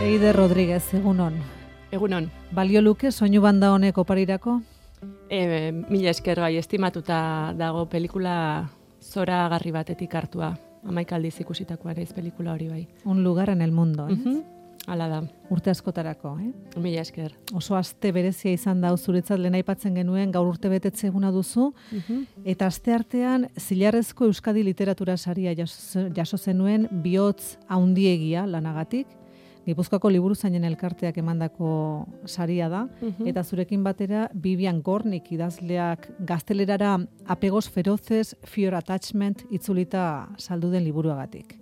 Eider Rodríguez, egunon. Egunon. Balio luke soinu banda honek oparirako? Mila esker bai, estimatuta dago pelikula zoragarri batetik hartua. 11 aldiz ikusitakoa naiz pelikula hori bai. Un lugar en el mundo, Hala da. Urte askotarako, Mila esker. Oso aste berezia izan da zuretzat lehen aipatzen genuen, gaur urte betetze eguna duzu, eta aste artean zilarrezko Euskadi literatura saria jaso zenuen bihotz haundiegia lanagatik. Gipuzkoako liburuzainen elkarteak emandako saria da, eta zurekin batera Vivian Gornik idazleak gaztelerara Apegos feroces, Fear attachment itzulita saldu den liburuagatik.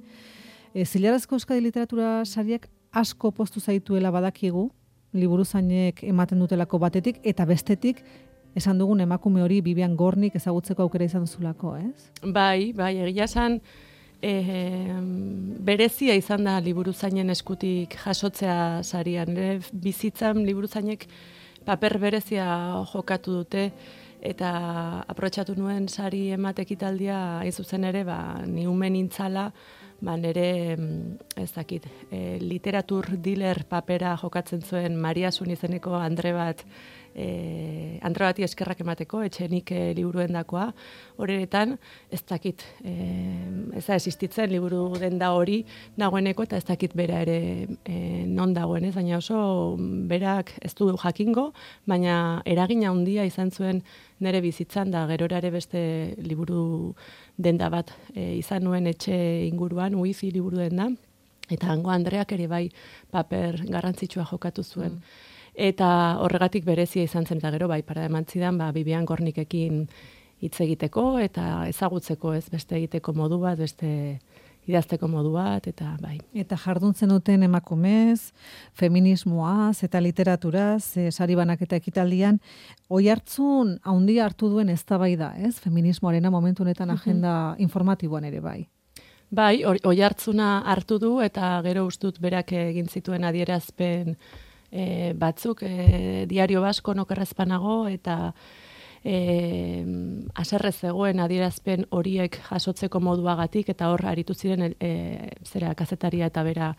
Zilarrezko Euskadi literatura sariak asko postu zaituela badakigu, liburuzainek ematen dutelako batetik, eta bestetik esan dugun emakume hori Vivian Gornik ezagutzeko aukera izan duzulako, ez? Bai, egia esan, berezia izan da liburuzainen eskutik jasotzea sarian. Bizitzan liburuzainek paper berezia jokatu dute, eta aprobetxatu nuen sari ematekitaldia hain zuzen ere, ni ume nintzala, nire, ez dakit, literatur dealer papera jokatzen zuen Maria Sun izeneko andre bati eskerrak emateko, etxenik liburuendakoa, horretan, ez dakit, ez da existitzen liburu denda hori dagoeneko, eta ez dakit bera ere non dagoen, ez, baina oso berak ez du jakingo, baina eragina handia izan zuen nire bizitzan, da gerora ere beste liburu denda bat izan nuen etxe inguruan, Wifi liburu denda, eta hango Andreak ere bai paper garrantzitsua jokatu zuen. Eta horregatik berezia izan zen, eta gero bai, para emantzidan, Vivian Gornikekin hitz egiteko, eta ezagutzeko ez beste egiteko modu bat, beste idazteko modu bat, eta bai. Eta jarduntzen duten emakumez, feminismoaz eta literaturaz, sari banaketa ekitaldian, oihartzun handia hartu duen eztabaida, ez? Feminismoarena momentu honetan agenda informatiboan ere bai. Bai, oihartzuna hartu du, eta gero ustut berak egin zituen adierazpen batzuk, Diario Basko nokerrezpanago, eta haserre zegoen adierazpen horiek jasotzeko moduagatik, eta hor aritu ziren kazetaria eta bera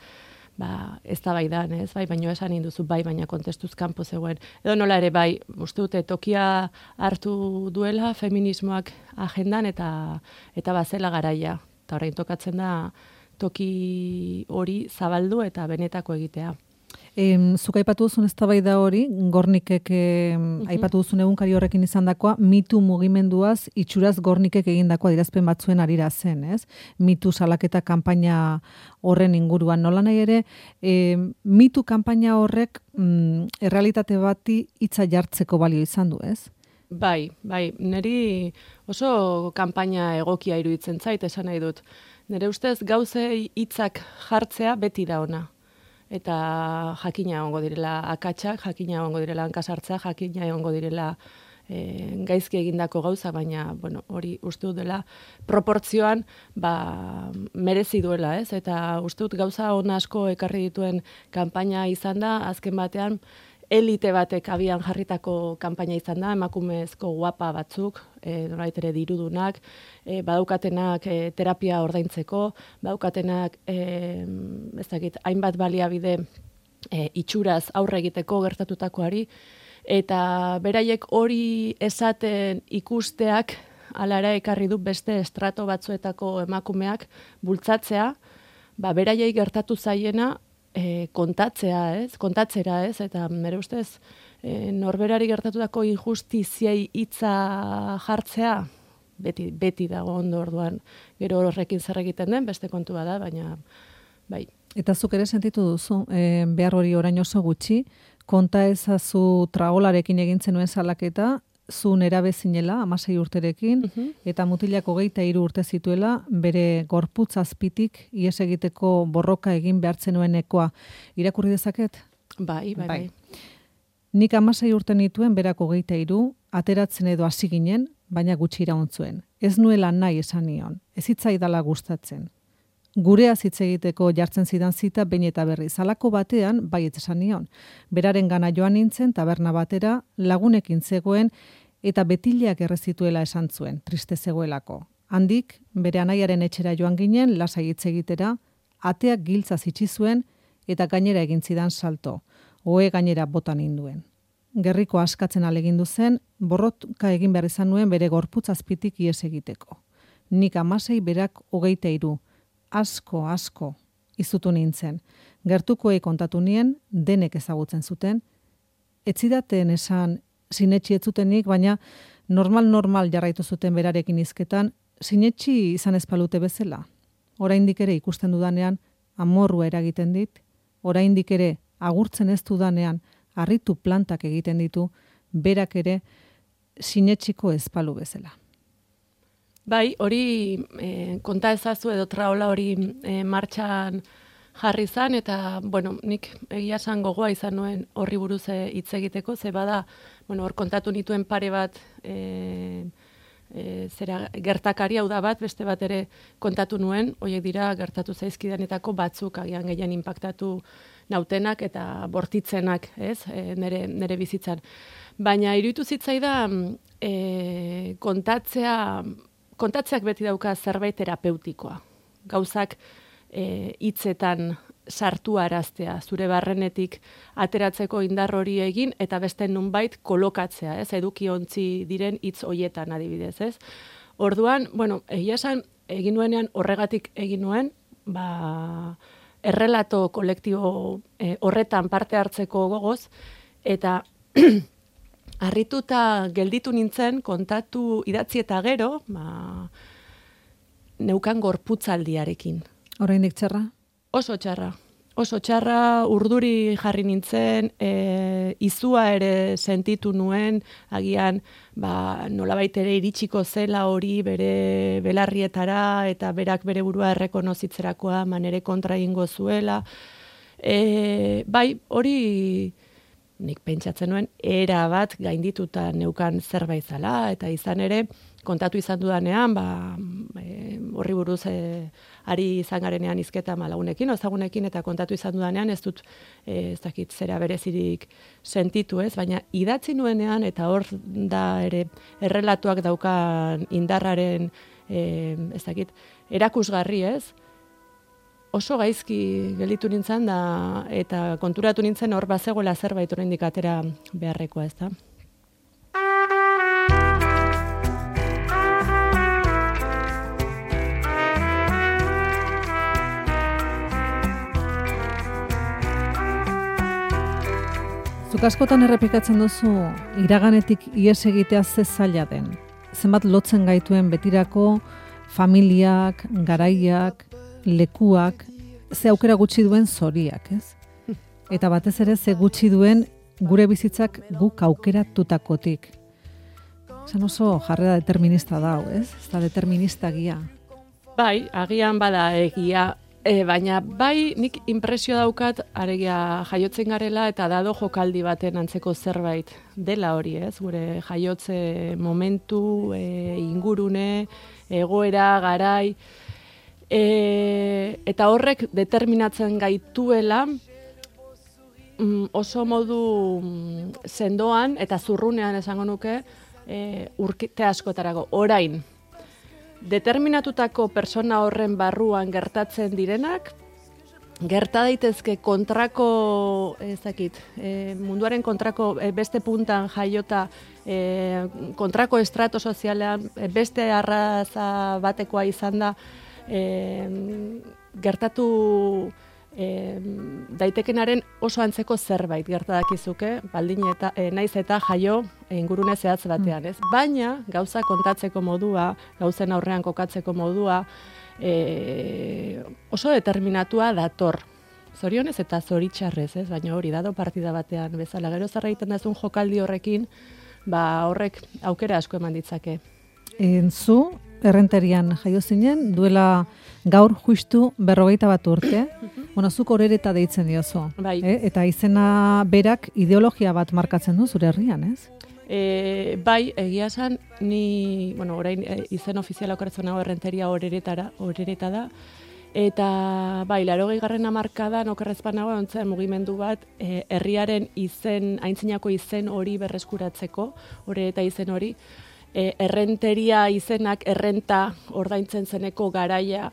eztabaidan, ez, bai, baino esan induzu bai, baina kontestuz kanpo zegoen. Edo nola ere bai, uste dute tokia hartu duela feminismoak agendan, eta bazela garaia. Eta orain tokatzen da toki hori zabaldu eta benetako egitea. Zuk aipatu duzun eztabaida hori, Gornikek aipatu duzun egunkari horrekin izandakoa, mitu mugimenduaz, itxuraz Gornikek egindakoa adierazpen batzuen arira zen, ez? Mitu salaketa kanpaina horren inguruan. Nola nahi ere, mitu kanpaina horrek errealitate bati hitza jartzeko balio izan du, ez? Bai, niri oso kanpaina egokia iruditzen zait, esan nahi dut. Nire ustez gauzei hitzak jartzea beti da ona. Eta jakina egongo direla akatsak, jakina egongo direla hankasartza, jakina egongo direla gaizki egindako gauza, baina hori uste dut dela proportzioan merezi duela, ez? Eta uste dut gauza on asko ekarri dituen kanpaina izan da, azken batean elite batek abian jarritako kanpaina izan da, emakumezko guapa batzuk, norbait ere dirudunak, badaukatenak terapia ordaintzeko, badaukatenak ez dakit, hainbat baliabide itxuraz aurre egiteko gertatutakoari, Eta beraiek hori esaten ikusteak, alara ekarri du beste estrato batzuetako emakumeak bultzatzea, beraiei gertatu zaiena kontatzera, ez? Eta nire ustez, norberari gertatutako injustiziei hitza jartzea, beti dago ondo orduan, gero horrekin zer egiten den, beste kontu bada, baina bai. Eta zuk ere sentitu duzu, behar hori orain oso gutxi, konta ezazu traolarekin egin zenuen salaketa, zu nerabe zinela, 16 urterekin, eta mutilak 23 urte zituela, bere gorputz azpitik ihes egiteko borroka egin behartzen nuenekoa. Irakurri dezaket? Bai. Nik 16 urte nituen, berak 23, ateratzen edo hasi ginen, baina gutxi iraun zuen. Ez nuela nahi esan nion, ez hitzaidala gustatzen. Gurea hitz egiteko jartzen zidan zita behin eta berriz. Halako batean baietz esan nion. Beraren gana joan nintzen taberna batera, lagunekin zegoen eta betileak errezituela esan zuen, triste zegoelako. Handik, bere anaiaren etxera joan ginen, lasai hitz egitera, ateak giltzaz itxi zuen eta gainera egin zidan salto. Ohe gainera bota ninduen. Gerriko askatzen alegindu zen, borroka egin behar izan nuen bere gorputz azpitik ihes egiteko. Nik 16, berak 23. Asko, izutu nintzen. Gertukoei kontatu nien, denek ezagutzen zuten. Etzidaten esan sinetxi ez zutenik, baina normal jarraitu zuten berarekin hizketan, sinetxi izan ezpalute bezala. Oraindik ere ikusten dudanean, amorrua eragiten dit, oraindik ere agurtzen ez dudanean, harritu plantak egiten ditu, berak ere sinetxiko ezpalu bezala. Bai, hori konta ezazu edo traola hori martxan jarri zan, eta, nik egia esan gogoa izan nuen horri buruz hitz egiteko, ze bada, hor kontatu nituen pare bat gertakari hau da bat, beste bat ere kontatu nuen, horiek dira gertatu zaizkidanetako batzuk agian gehien inpaktatu nautenak eta bortitzenak, ez, nere bizitzan. Baina iruditu zitzaidan kontatzeak beti dauka zerbait terapeutikoa. Gauzak hitzetan sartu araztea, zure barrenetik ateratzeko indar hori egin, eta beste nunbait kolokatzea, ez, edukiontzi diren hitz hoietan adibidez, ez. Orduan, egia esan, egin nuenean horregatik egin nuen, errelato kolektibo horretan parte hartzeko gogoz, eta harrituta gelditu nintzen, kontatu idatzi eta gero, neukan gorputzaldiarekin. Oraindik txarra? Oso txarra, urduri jarri nintzen, izua ere sentitu nuen, agian nolabait ere iritsiko zela hori bere belarrietara, eta berak bere burua errekonozitzerakoa manere kontra egingo zuela. Bai, hori nik pentsatzen nuen, era bat gaindituta neukan zerbait zala, eta izan ere, kontatu izan dudanean, horri buruz ari izan garenean hizketa lagunekin, ezagunekin, eta kontatu izan dudanean, ez dut, ez dakit zera berezirik sentitu, ez, baina idatzi nuenean, eta hor da ere errelatuak daukan indarraren, ez dakit, erakusgarri, ez, oso gaizki gelditu nintzen da, eta konturatu nintzen hor bazegoela zerbait oraindik atera beharrekoa, ez da. Zuk askotan errepikatzen duzu iraganetik ihes egitea ze zaila den. Zenbat lotzen gaituen betirako familiak, garaiak, lekuak, ze aukera gutxi duen zoriak, ez? Eta batez ere ze gutxi duen gure bizitzak guk aukeratutakotik. Zan oso jarrera determinista da, ez? Ez da determinista gia. Bai, agian bada egia, baina bai nik inpresio daukat aregia jaiotzen garela eta dado jokaldi baten antzeko zerbait dela hori, ez? Gure jaiotze momentu, ingurune, egoera, garai, eta horrek determinatzen gaituela oso modu sendoan eta zurrunean esango nuke urte askotarako orain. Determinatutako persona horren barruan gertatzen direnak, gerta daitezke kontrako, munduaren kontrako beste puntan jaiota, kontrako estrato sozialean beste arraza batekoa izan da, gertatu daitekenaren oso antzeko zerbait gertadakizuke, baldin eta naiz eta jaio ingurune zehatz batean, ez? Baina gauza kontatzeko modua, gauzen aurrean kokatzeko modua, oso determinatua dator. Zorionez eta zoritxarrez, ez? Baina hori dado partida batean bezala. Gero zer egiten dazun jokaldi horrekin, horrek aukera asko eman ditzake. Zu, Errenterian jaio zinen, duela gaur justu 51 urte, zuk Orereta deitzen diozu. Bai. Eta izena berak ideologia bat markatzen du zure herrian, ez? Bai, egia esan, ni, orain izen ofiziala okertzen nago Errenteria Orereta da, eta bai, 80. hamarkadan okerrezpan nago ontzen mugimendu bat, herriaren aintzinako izen hori berreskuratzeko, Orereta izen hori, Errenteria izenak errenta ordaintzen zeneko garaia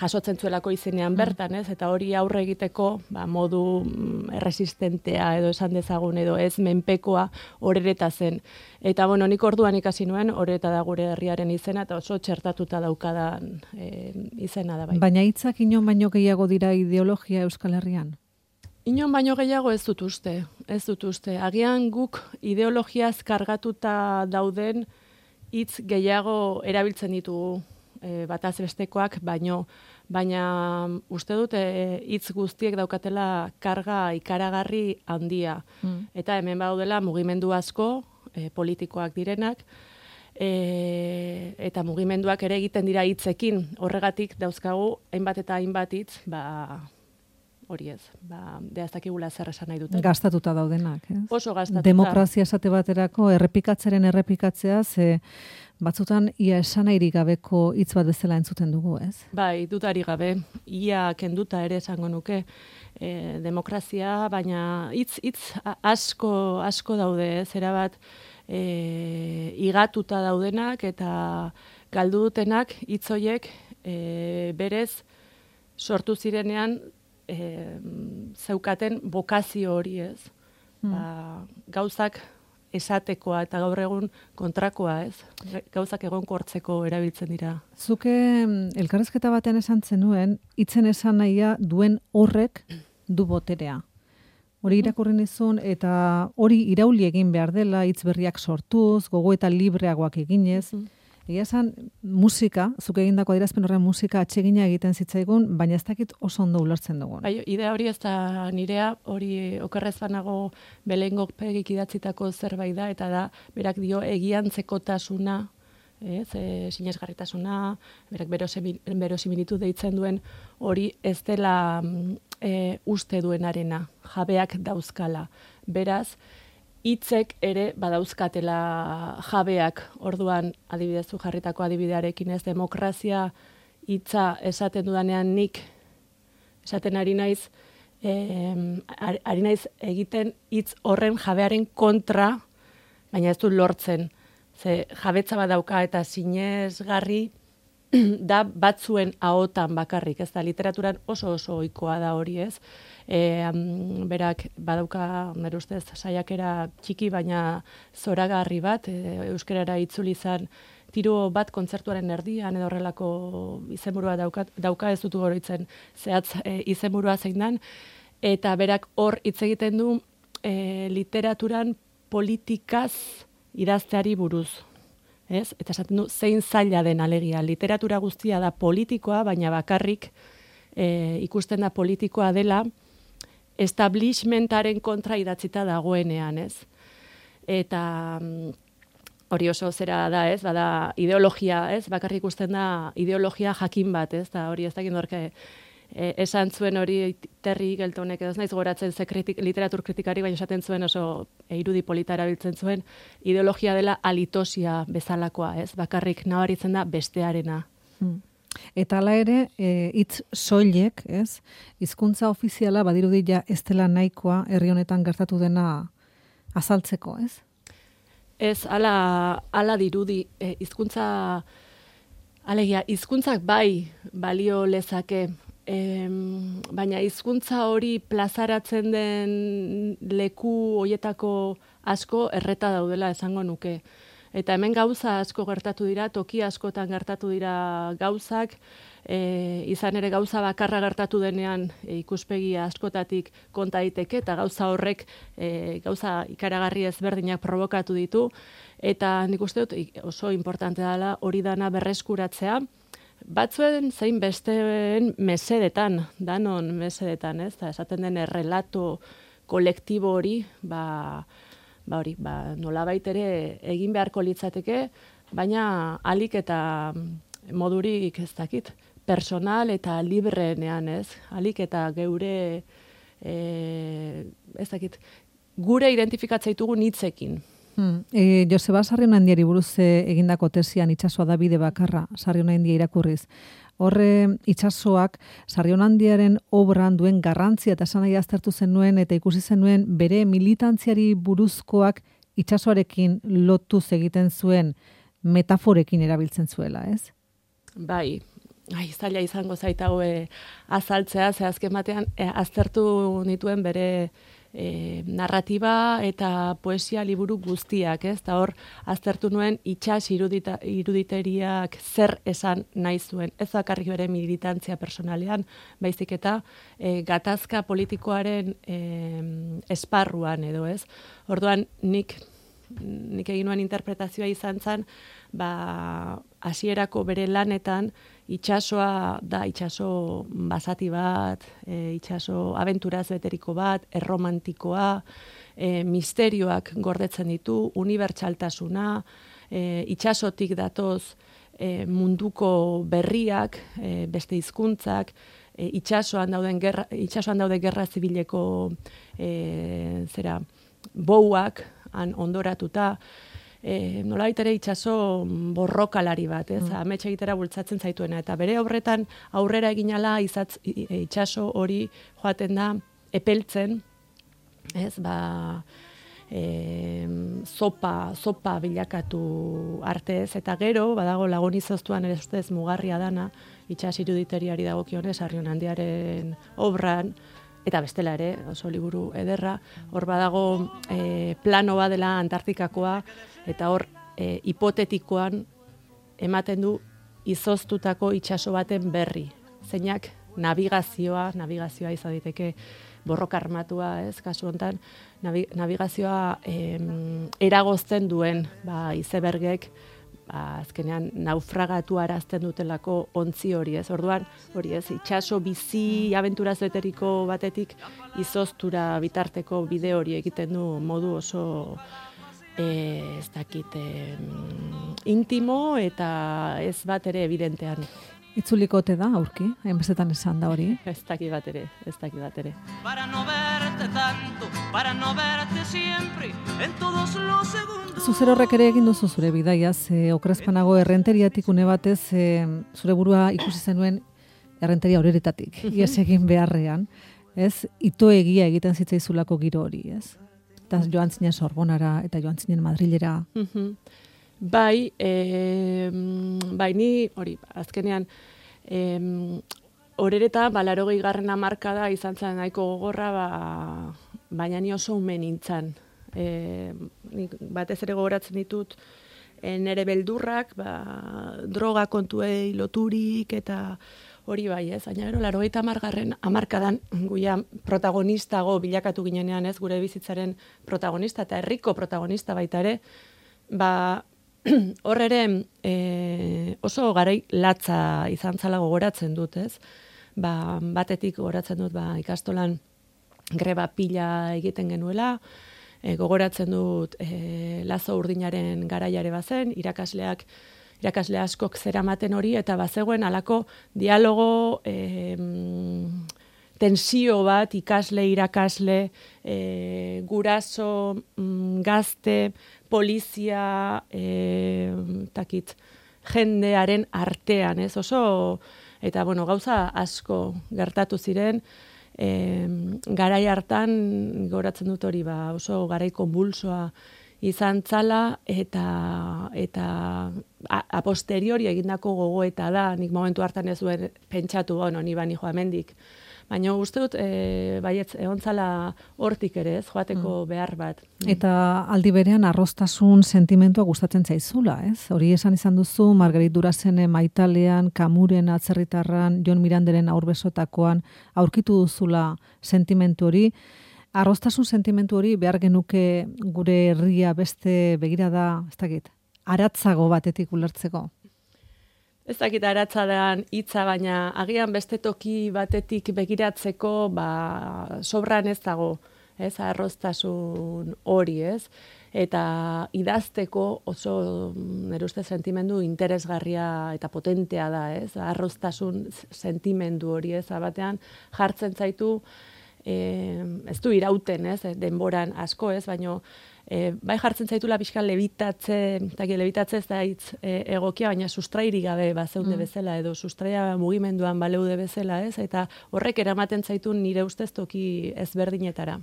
jasotzen zuelako izenean bertan, ez? Eta hori aurre egiteko modu erresistentea edo esan dezagun edo ez menpekoa Orereta zen. Eta nik orduan ikasi nuen, Orereta da gure herriaren izena eta oso txertatuta daukadan izena da bai. Baina hitzak inon baino gehiago dira ideologia Euskal Herrian? Inon baino gehiago ez dut uste. Agian guk ideologiaz kargatuta dauden hitz gehiago erabiltzen ditugu bataz bestekoak, baina uste dut hitz guztiek daukatela karga ikaragarri handia. Eta hemen daudela mugimendu asko, politikoak direnak, eta mugimenduak ere egiten dira hitzekin. Horregatik dauzkagu hainbat eta hainbat hitz, hori ez, ez zer esan nahi duten. Gastatuta daudenak, ez? Oso gastatuta. Demokrazia esate baterako errepikatzea, ze batzutan ia esanahirik gabeko hitz bat bezala entzuten dugu, ez? Bai, dudari gabe, ia kenduta ere esango nuke demokrazia, baina hitz asko daude, ez? Erabat igatuta daudenak eta galdu dutenak hitz horiek berez sortu zirenean zeukaten bokazio hori, ez? Gauzak esatekoa eta gaur egun kontrakoa, ez? Gauzak egonkortzeko erabiltzen dira. Zuke elkarrezketa batean esan zenuen, hitzen esan nahia duen horrek du boterea. Hori irakurri nizun eta hori irauli egin behar dela, hitz berriak sortuz, gogo eta libreagoak eginez. Egia esan, musika, zuk egindako adierazpen horren musika atsegina egiten zitzaigun, baina ez dakit oso ondo ulertzen dugun. Bai, idea hori ez da nirea, hori okerrez banago Belengo Pegik idatzitako zerbait da, eta da, berak dio egiantzekotasuna, sinesgarritasuna, berak berosimilitu deitzen duen, hori ez dela uste duenarena, jabeak dauzkala. Beraz, hitzek ere badauzkatela jabeak, orduan adibidez jarritako adibidearekin, ez, demokrazia hitza esaten dudanean nik esaten ari naiz egiten hitz horren jabearen kontra, baina ez du lortzen. Ze jabetza badauka eta sinesgarri da batzuen ahotan bakarrik, ez da, literaturan oso ohikoa da hori, ez? Berak badauka, nire ustez, saiakera txiki, baina zoragarri bat, euskarara itzuli izan tiro bat kontzertuaren erdian, edo horrelako izenburua dauka ez dut goroitzen zehatz izenburua zein dan, eta berak hor hitz egiten du literaturan politikaz idazteari buruz. Ez? Eta esaten du, zein zaila den alegia. Literatura guztia da politikoa, baina bakarrik ikusten da politikoa dela establishmentaren kontra idatzita dagoenean, ez? Eta hori oso zera da, ez? Bada ideologia, ez? Bakarrik ikusten da ideologia jakin bat, ez? Da hori ez dakit norke esan zuen hori Terry Geltonek, ez naiz goratzen literatur kritikari, baina esaten zuen oso irudi polita erabiltzen zuen, ideologia dela alitosia bezalakoa, ez? Bakarrik nabaritzen da bestearena. Eta hala ere, hitz soilek, ez? Hizkuntza ofiziala badirudi ja ez dela nahikoa herri honetan gertatu dena azaltzeko, ez? Ez, ala dirudi, hizkuntza alegia, hizkuntzak bai balio lezake baina hizkuntza hori plazaratzen den leku hoietako asko erreta daudela esango nuke. Eta hemen gauza asko gertatu dira, toki askotan gertatu dira gauzak, izan ere gauza bakarra gertatu denean ikuspegi askotatik konta daiteke eta gauza horrek gauza ikaragarri ezberdinak provokatu ditu eta nik uste dut oso importante dela hori dana berreskuratzea. Batzuen zein besteen mesedetan, danon mesedetan, ez? Da esaten den errelato kolektibo hori, nolabait ere egin beharko litzateke, baina alik eta modurik ez dakit, personal eta libreenean, ez? Alik eta geure, ez dakit, gure identifikatzea ditugu hitzekin. Joseba Sarrionandiari buruz egindako tesian itsasoa da bide bakarra, Sarrionandia irakurriz. Horre itsasoak Sarrionandiaren obran duen garrantzia eta esanahia aztertu zenuen eta ikusi zenuen bere militantziari buruzkoak itsasoarekin lotuz egiten zuen metaforekin erabiltzen zuela, ez? Bai, zaila izango zait hau azaltzea, ze azken batean aztertu nituen bere narratiba eta poesia liburu guztiak, ez? Eta hor aztertu nuen itsas iruditeriak zer esan nahi zuen. Ez bakarrik bere militantzia personalean, baizik eta gatazka politikoaren esparruan edo, ez? Orduan nik egin nuen interpretazioa izan zen, hasierako bere lanetan itsasoa da itsaso basati bat, itsaso abenturaz beteriko bat, erromantikoa, misterioak gordetzen ditu, unibertsaltasuna, itsasotik datoz munduko berriak, beste hizkuntzak, itsasoan daude gerra zibileko bouak han ondoratuta, nolabait ere itsaso borrokalari bat, ez? Amets egitera bultzatzen zaituena eta bere obretan aurrera eginala itsaso hori joaten da epeltzen, ez? Sopa bilakatu arte, ez? Eta gero badago Lagun izoztuan ere ustez mugarria dana itsas iruditeriari dagokionez Sarrionandiaren obran. Eta bestela ere, oso liburu ederra, hor badago plano bat dela Antartikakoa, eta hor hipotetikoan ematen du izoztutako itsaso baten berri. Zeinak navigazioa izan daiteke borroka armatua, ez, kasu hontan, navigazioa eragozten duen, izebergek, azkenean naufragatu arazten dutelako ontzi hori, ez? Orduan, hori ez, itsaso bizi abenturaz beteriko batetik izoztura bitarteko bide hori egiten du modu oso ez dakit intimo eta ez bat ere evidentean. Itzulikote da, aurki, hainbestetan esan da hori. Ez dakit bat ere. Para no verte tanto, para no verte siempre, en todos los segundos. Zuzer horrek ere egin duzu zure bidaiaz, okrezpanago errenteriatik une batez, zure burua ikusi zenuen errenteria horeretatik, ies egin beharrean, ez? Ito egia egiten zitzaizulako giro hori, ez? Eta joan zinen Sorbonara eta joan zinen Madrilera. Bai, ni hori, azkenean, horereta, 80. hamarkada izan zen nahiko gogorra, baina ni oso ume nintzen. Batez ere gogoratzen ditut, nere beldurrak, droga kontuei loturik eta hori bai, ez? Baina gero, 80. hamarkadan guia protagonistago bilakatu ginenean, ez? Gure bizitzaren protagonista eta herriko protagonista baita ere, hor ere oso garai latza izan zala gogoratzen dut, ez? Batetik gogoratzen dut ikastolan greba pila egiten genuela, gogoratzen dut Lazo Urdinaren garaiare bazen, irakasle askok zeramaten hori, eta bazegoen halako dialogo tensio bat irakasle, guraso, gazte, polizia, jendearen artean, ez? Oso, eta gauza asko gertatu ziren, garai hartan goratzen dut hori, oso garai konbulsoa izan zala eta a posteriori egindako gogoeta da, nik momentu hartan ez duen pentsatu, ni bani joa mendik. Baina uste dut, baietz, egon zala hortik ere, ez, joateko behar bat. Eta aldi berean arroztasun sentimentua gustatzen zaizula, ez? Hori esan izan duzu, Margarit Durazene Maitalean, Kamuren atzerritarran, Jon Miranderen aurbesotakoan, aurkitu duzula sentimentu hori. Arroztasun sentimentu hori behar genuke gure herria beste begirada, ez dakit, aratzago batetik ulertzeko. Ez dakit aratzadean hitza, baina agian beste toki batetik begiratzeko sobran ez dago, ez, arroztasun hori, ez? Eta idazteko oso nire uste sentimendu interesgarria eta potentea da, ez? Arroztasun sentimendu hori, ez? Batean jartzen zaitu, ez du irauten, ez? Denboran asko, ez? Baina bai jartzen zaitula pixka lebitatze ez da hitz egokia, baina sustrairi gabe bazeunde bezala, edo sustraia mugimenduan baleude bezala, ez? Eta horrek eramaten zaitu nire ustez toki ezberdinetara.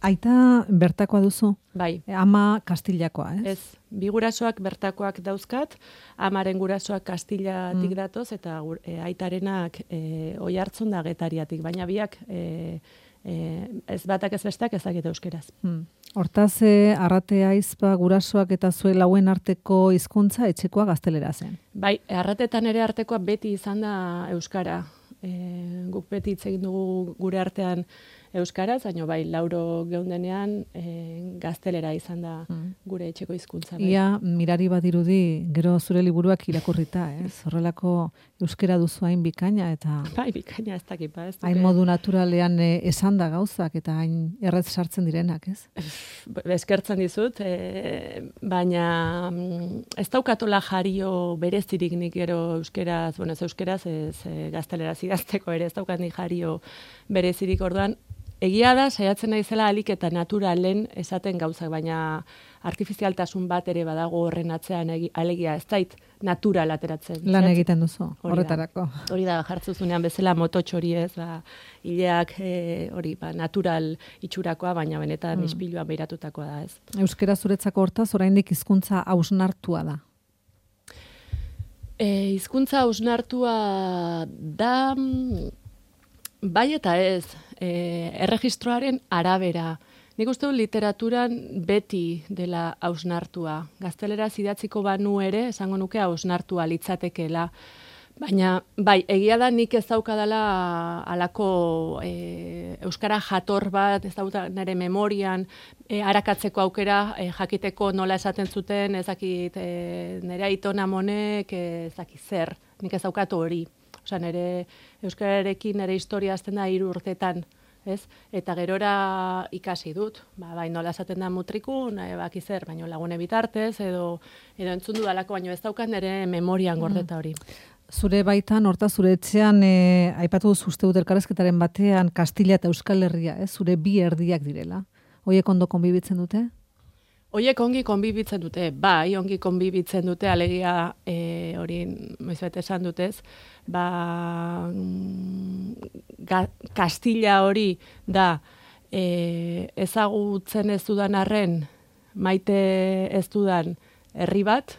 Aita bertakoa duzu? Bai. Ama Kastillakoa, ez? Ez, bi gurasoak bertakoak dauzkat, amaren gurasoak Kastillatik datoz, eta aitarenak Oiartzun da Getariatik, baina biak ez batak ez besteak ezagite euskeraz. Hortaz, Arratea, Aizpa, gurasoak eta zuen lauen arteko hizkuntza etxekoa gaztelera zen. Bai, Arratetan ere artekoa beti izan da euskara. Guk beti hitz egin dugu gure artean euskaraz, baina bai, Lauro geundenean gaztelera izan da gure etxeko hizkuntza. Bai. Ia, mirari badirudi, gero zure liburuak irakurrita, ez? Horrelako euskera duzu hain bikaina eta... Bai, bikaina ez dakit, ez duke. Hain modu naturalean esan da gauzak eta hain errez sartzen direnak, ez? Eskertzen dizut, baina ez daukatola jario berezirik nik gero euskeraz, ez euskeraz, ez gazteleraz idazteko ere, ez daukat nik jario berezirik orduan. Egia da, saiatzen naizela alik eta naturalen esaten gauzak, baina artifizialtasun bat ere badago horren atzean alegia ez zait natural ateratzen. Lan egiten duzu, horretarako. Hori da, jartzuzunean bezala mototx hori ez, hileak hori, natural itxurakoa, baina benetan ispiluan beiratutakoa da ez. Euskera zuretzako hortaz, oraindik hizkuntza hausnartua da. Hizkuntza hausnartua da... Bai eta ez, erregistroaren arabera. Nik uste dut literaturan beti dela hausnartua. Gazteleraz idatziko banu ere, esango nuke hausnartua litzatekeela. Baina, bai, egia da nik ez daukadala alako euskara jator bat, ez dauka nire memorian, arakatzeko aukera, jakiteko nola esaten zuten, ezakit nire aitona monek, ezakit zer, nik ez daukatu hori. Osa, nire euskararekin nire historia azten da 3 urtetan, ez? Eta gerora ikasi dut, bai nola esaten da mutrikun, baki zer, baino lagune bitartez, edo entzun dudalako, baino ez daukat nire memorian gordeta hori. Zure baitan, horta zure etxean, aipatu duzu uste dut elkarrezketaren batean, Kastilla eta Euskal Herria, zure bi erdiak direla. Hoiek ondo konbibitzen dute? Hoiek ongi konbibitzen dute, bai, ongi konbibitzen dute, alegia hori noizbait esan dutez, Kastilla hori da ezagutzen ez dudan arren, maite ez dudan herri bat,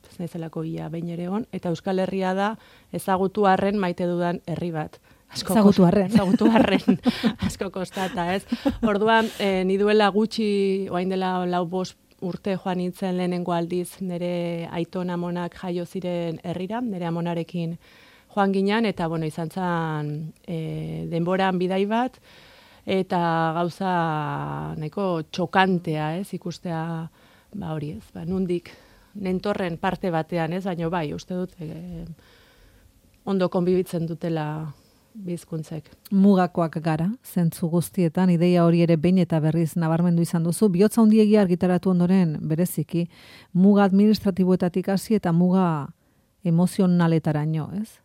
ez naizelako ia behin ere on, eta Euskal Herria da ezagutu arren maite dudan herri bat. Ezagutu arren, asko kostata, ez? Orduan, ni duela gutxi, oain dela 4-5 urte joan nintzen lehenengo aldiz nire aiton amonak jaio ziren herrira, nire amonarekin joan ginean, eta izan zen denboran bidai bat, eta gauza nahiko txokantea, ez? Ikustea, hori ez, nundik, nentorren parte batean, ez? Baina bai, uste dut, ondo konbibitzen dutela bizkuntzek. Mugakoak gara, zentzu guztietan, ideia hori ere behin eta berriz nabarmendu izan duzu. Bihotza handiegia argitaratu ondoren bereziki, muga administratiboetatik hasi eta muga emozionaletaraino, ez?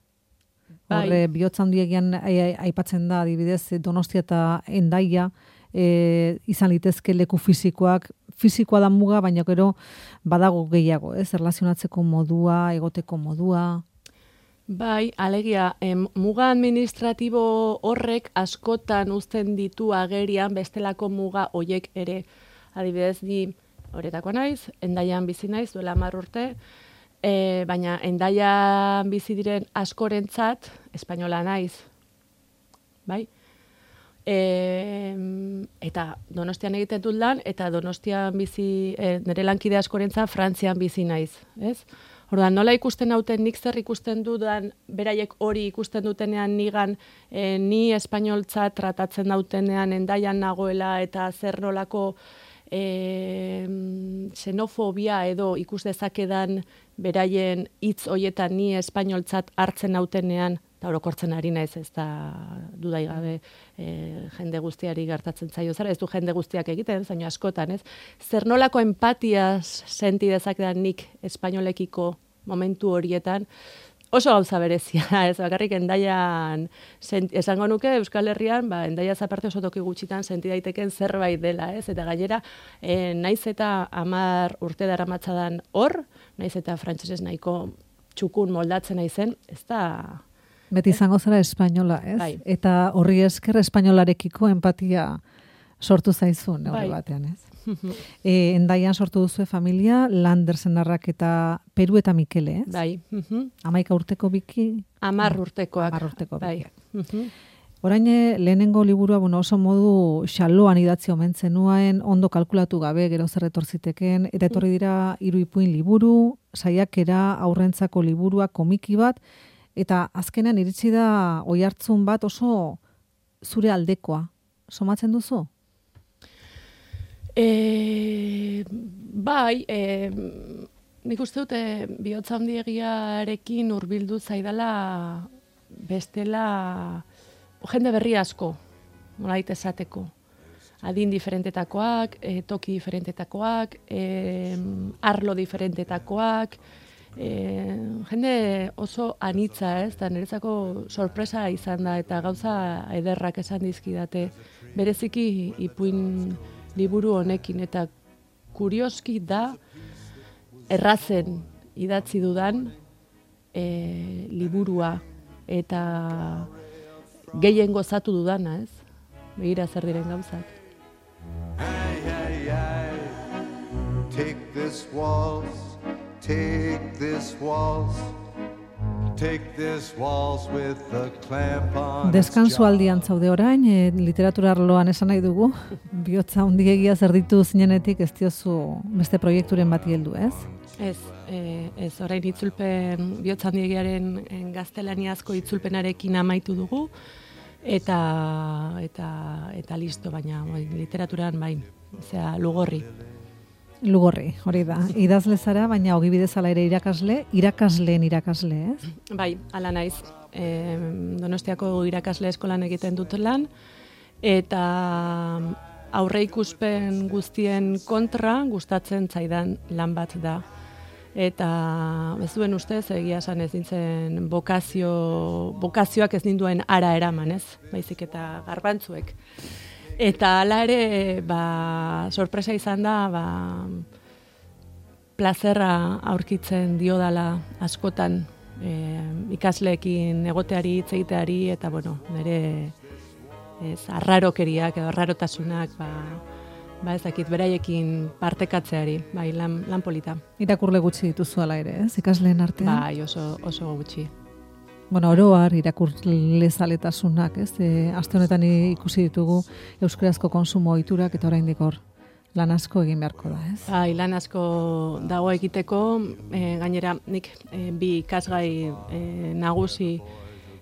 Horre, bihotza handiegian aipatzen da, adibidez, Donostia eta Hendaia, izan litezke leku fizikoa da muga, baina gero badago gehiago, ez? Erlazionatzeko modua, egoteko modua... Bai, alegia, muga administratibo horrek askotan uzten ditu agerian bestelako muga hoiek ere. Adibidez, ni Horetakoa naiz, Hendaian bizi naiz, duela 10 urte, baina Hendaian bizi diren askorentzat, espainola naiz, bai? Eta Donostian egiten dut lan, eta Donostian bizi, nire lankide askorentzat Frantzian bizi naiz, ez? Orduan, nola ikusten hauten, nik zer ikusten dudan, beraiek hori ikusten dutenean nigan, ni espainoltzat tratatzen dautenean Hendaian nagoela, eta zer nolako xenofobia edo ikus dezakedan beraien hitz hoietan ni espainoltzat hartzen nautenean, eta orokortzen ari naiz, ez da dudai gabe jende guztiari gertatzen zaio zara, ez du jende guztiak egiten, zaino askotan, ez? Zer nolako empatiaz senti dezakedan nik espainolekiko momentu horietan, oso gauza berezia, ez bakarrik Hendaian, esango nuke Euskal Herrian, Hendaiaz aparte oso toki gutxitan senti daiteken zerbait dela, ez? Eta gainera, naiz eta 10 urte daramatzadan hor, naiz eta frantsesez nahiko txukun moldatzen naizen, ez da... Beti izango zara espainola, ez? Bai. Eta horri esker espainolarekiko empatia sortu zaizun, neurri batean, ez? Hendaian sortu duzue familia, Lander senarrak eta Peru eta Mikele, ez? Bai. 11 urteko biki? 10 urtekoak. 10 urteko bai. Orain lehenengo liburua oso modu xaloan idatzi omen zenuen, ondo kalkulatu gabe, gero zer etortziteken, eta etorri dira 3 ipuin liburu, saiakera, aurrentzako liburua, komiki bat, eta azkenean iritsi da oihartzun bat oso zure aldekoa. Somatzen duzu? Bai, nik uste dute bihotza handiegiarekin hurbildu zaidala bestela jende berri asko, nolait esateko. Adin diferentetakoak, toki diferentetakoak, arlo diferentetakoak, jende oso anitza, ez? Da niretzako sorpresa izan da eta gauza ederrak esan dizkidate. Bereziki ipuin liburu honekin eta kurioski da errazen idatzi dudan liburua eta gehien gozatu dudana, ez? Begira zer diren gauzak. Take this waltz, take this waltz, take this waltz with the clamp on. Deskansu aldian zaude orain, literatura arloan esan nahi dugu, bihotza handiegia zer ditu zinenetik ez diozu beste proiekturen bati heldu, ez? Ez, orain itzulpen, bihotza handiegiaren gaztelaniazko itzulpenarekin amaitu dugu, eta listo, baina literaturan bai, osea, Lugorri, hori da. Idazle zara, baina ogibidez ala ere irakasleen irakasle, ez? Bai, ala naiz. Donostiako irakasle eskolan egiten dut lan, eta aurreikuspen guztien kontra gustatzen zaidan lan bat da. Eta ez duen ustez, egia esan ez nintzen bokazioak ez ninduen ara eraman, ez? Baizik eta garbantzuek. Eta hala ere, sorpresa izan da, plazerra aurkitzen diodala askotan ikasleekin egoteari, hitz egiteari, eta nire arrarokeriak edo arrarotasunak, ez dakit, beraiekin partekatzeari, bai, lan polita. Irakurle gutxi dituzu ala ere, ez? Ikasleen artean? Bai, oso gutxi. Oroar irakurle zaletasunak, ez? Aste honetan ikusi ditugu euskarazko konsumo ohiturak eta oraindik hor lan asko egin beharko da, ez? Bai, lan asko dago egiteko, gainera nik bi ikasgai nagusi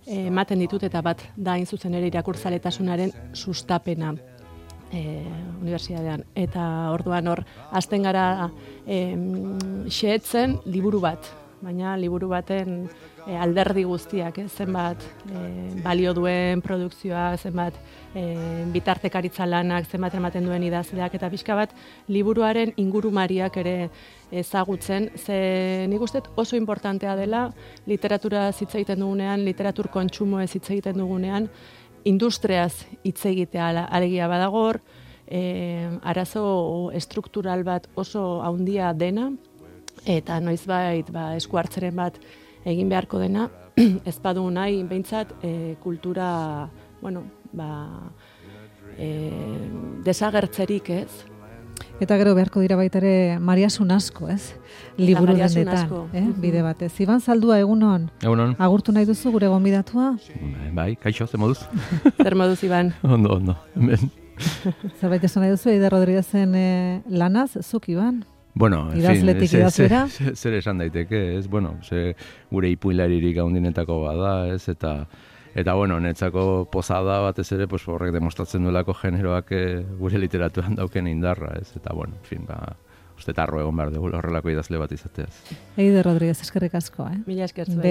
ematen ditut eta bat da hain zuzen ere irakurzaletasunaren sustapena unibertsitatean. Eta orduan hor hasten gara xehetzen liburu bat, baina liburu baten alderdi guztiak, zenbat balio duen produkzioa, zenbat bitartekaritza lanak, zenbat ematen duen idazleak, eta pixka bat liburuaren ingurumariak ere ezagutzen, ze nik uste oso importantea dela literatura hitz egiten dugunean, literatur kontsumoez hitz egiten dugunean, industriaz hitz egitea alegia badagor, arazo estruktural bat oso handia dena, eta noizbait esku hartzeren bat egin beharko dena, ez badu nahi, behintzat, kultura, desagertzerik ez, Eta gero beharko dira baita ere Mariasun asko, ez? Liburu Mariasun dendetan, asko. Bide batez. Iban Zaldua, egunon? Egunon. Agurtu nahi duzu gure gonbidatua? Bai, kaixo, ze moduz? Zer moduz, Iban? Ondo. Hemen. Zerbait esan nahi duzu, Eider Rodriguezen lanaz, zuk, Iban? Bueno, en Idazletik idazlera? Zer esan daiteke, ez? Bueno, gure ipuinlaririk handinetako bada, ez? Eta bueno, netzako pozada batez ere, pues horrek demostratzen duelako generoak gure literaturan dauken indarra, ez? Eta bueno, en fin, uste tarro egon behar dugu horrelako idazle bat izateaz. Eider Rodriguez, eskerrik asko, Mila esker zuen.